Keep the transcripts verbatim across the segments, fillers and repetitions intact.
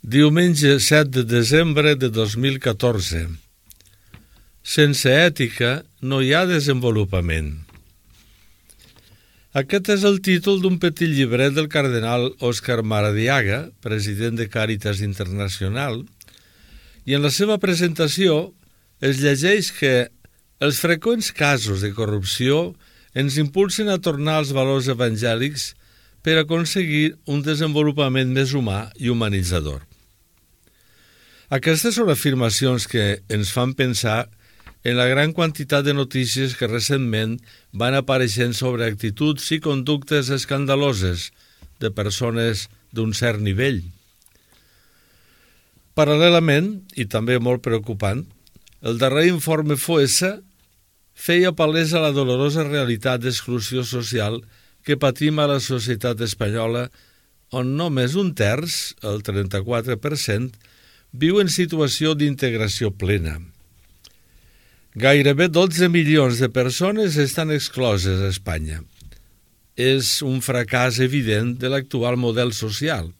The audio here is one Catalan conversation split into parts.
Diumenge set de desembre de dos mil catorze. Sense ètica no hi ha desenvolupament. Aquest és el títol d'un petit llibret del cardenal Òscar Maradiaga, president de Càritas Internacional, i en la seva presentació es llegeix que els freqüents casos de corrupció ens impulsen a tornar als valors evangèlics per aconseguir un desenvolupament més humà i humanitzador. Aquestes són afirmacions que ens fan pensar en la gran quantitat de notícies que recentment van apareixent sobre actituds i conductes escandaloses de persones d'un cert nivell. Paral·lelament, i també molt preocupant, el darrer informe FOESA feia palesa la dolorosa realitat d'exclusió social que patim a la societat espanyola, on només un terç, el trenta-quatre per cent, viu en situació d'integració plena. Gairebé dotze milions de persones estan excloses a Espanya. És un fracàs evident de l'actual model social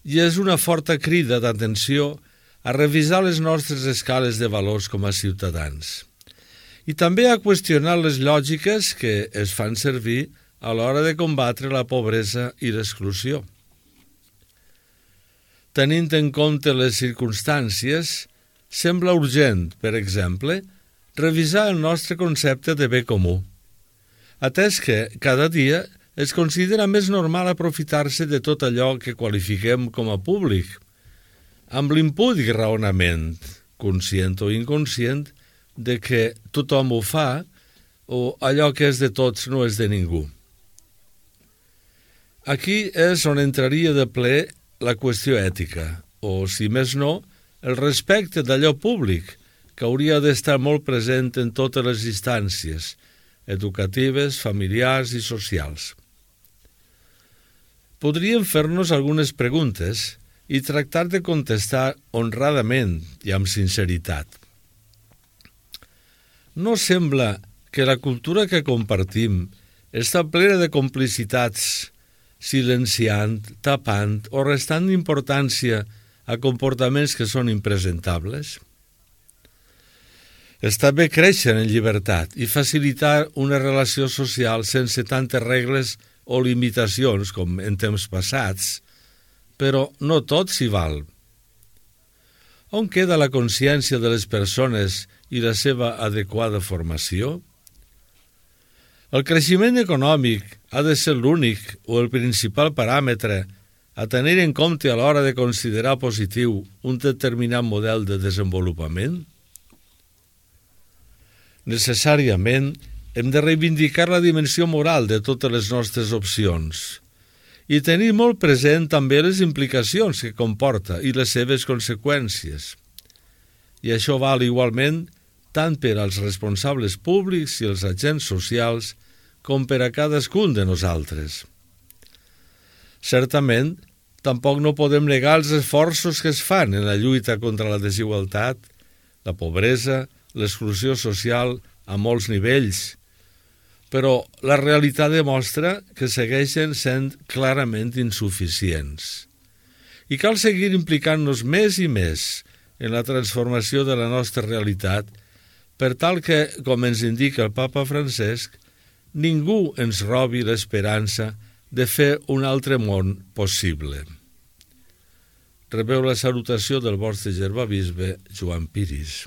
i és una forta crida d'atenció a revisar les nostres escales de valors com a ciutadans i també a qüestionar les lògiques que es fan servir a l'hora de combatre la pobresa i l'exclusió. Tenint en compte les circumstàncies, sembla urgent, per exemple, revisar el nostre concepte de bé comú, atès que cada dia es considera més normal aprofitar-se de tot allò que qualifiquem com a públic, amb l'impúdic raonament, conscient o inconscient, de que tothom ho fa o allò que és de tots no és de ningú. Aquí és on entraria de ple la qüestió ètica, o, si més no, el respecte d'allò públic, que hauria d'estar molt present en totes les instàncies, educatives, familiars i socials. Podríem fer-nos algunes preguntes i tractar de contestar honradament i amb sinceritat. No sembla que la cultura que compartim està plena de complicitats, silenciant, tapant o restant importància a comportaments que són impresentables? Està bé créixer en llibertat i facilitar una relació social sense tantes regles o limitacions com en temps passats, però no tot s'hi val. On queda la consciència de les persones i la seva adequada formació? El creixement econòmic ha de ser l'únic o el principal paràmetre a tenir en compte a l'hora de considerar positiu un determinat model de desenvolupament? Necessàriament hem de reivindicar la dimensió moral de totes les nostres opcions i tenir molt present també les implicacions que comporta i les seves conseqüències. I això val igualment tant per als responsables públics i els agents socials com per a cadascun de nosaltres. Certament, tampoc no podem negar els esforços que es fan en la lluita contra la desigualtat, la pobresa, l'exclusió social a molts nivells, però la realitat demostra que segueixen sent clarament insuficients. I cal seguir implicant-nos més i més en la transformació de la nostra realitat per tal que, com ens indica el Papa Francesc, ningú ens robi l'esperança de fer un altre món possible. Rebeu la salutació del vostre germà bisbe Joan Piris.